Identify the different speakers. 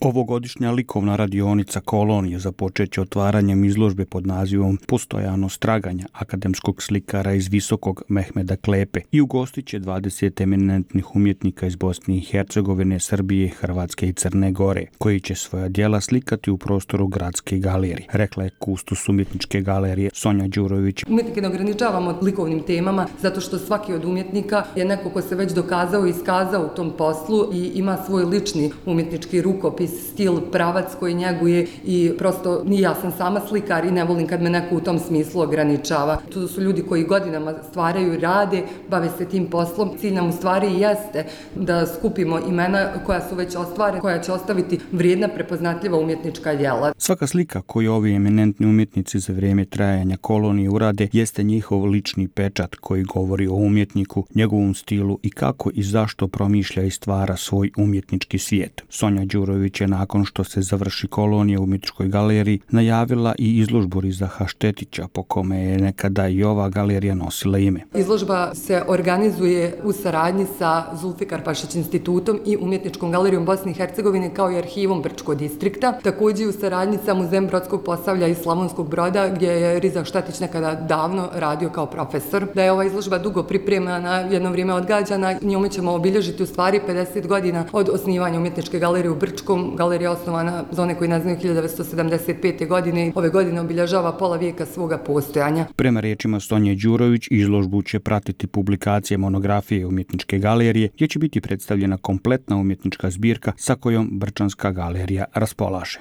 Speaker 1: Ovogodišnja likovna radionica Kolonije započeće otvaranjem izložbe pod nazivom Postojanost traganja akademskog slikara iz Visokog Mehmeda Klepe i ugostit će 20 eminentnih umjetnika iz Bosne i Hercegovine, Srbije, Hrvatske i Crne Gore, koji će svoja djela slikati u prostoru Gradske galerije, rekla je kustos umjetničke galerije Sonja Đurović.
Speaker 2: Umjetnike ne ograničavamo likovnim temama zato što svaki od umjetnika je neko ko se već dokazao i iskazao u tom poslu i ima svoj lični umjetnički rukopis, stil, pravac koji njeguje i prosto ja sam sama slikar i ne volim kad me neko u tom smislu ograničava. To su ljudi koji godinama stvaraju i rade, bave se tim poslom. Cilj nam u stvari jeste da skupimo imena koja su već ostvarena, koja će ostaviti vrijedna, prepoznatljiva umjetnička djela.
Speaker 1: Svaka slika koju ovi eminentni umjetnici za vrijeme trajanja Kolonije urade jeste njihov lični pečat koji govori o umjetniku, njegovom stilu i kako i zašto promišlja i stvara svoj umjetnički svijet. Sonja Đurović je nakon što se završi Kolonija u umjetničkoj galeriji najavila i izložbu Rizaha Štetića, po kome je nekada i ova galerija nosila ime.
Speaker 2: Izložba se organizuje u saradnji sa Zulfikar Pašić institutom i Umjetničkom galerijom Bosne i Hercegovine kao i arhivom Brčkog distrikta. Također u saradnji sa Muzejem Brodskog Posavlja i Slavonskog Broda gdje je Rizah Štetić nekada davno radio kao profesor. Da je ova izložba dugo pripremana, jedno vrijeme odgađana, njome ćemo obilježiti u stvari 50 godina od osnivanja Umjetničke galerije u Brčkom. Galerija je osnovana, za one koji ne znaju, 1975. godine. Ove godine obilježava pola vijeka svoga postojanja.
Speaker 1: Prema riječima Sonje Đurović, izložbu će pratiti publikacije monografije Umjetničke galerije, gdje će biti predstavljena kompletna umjetnička zbirka sa kojom Brčanska galerija raspolaže.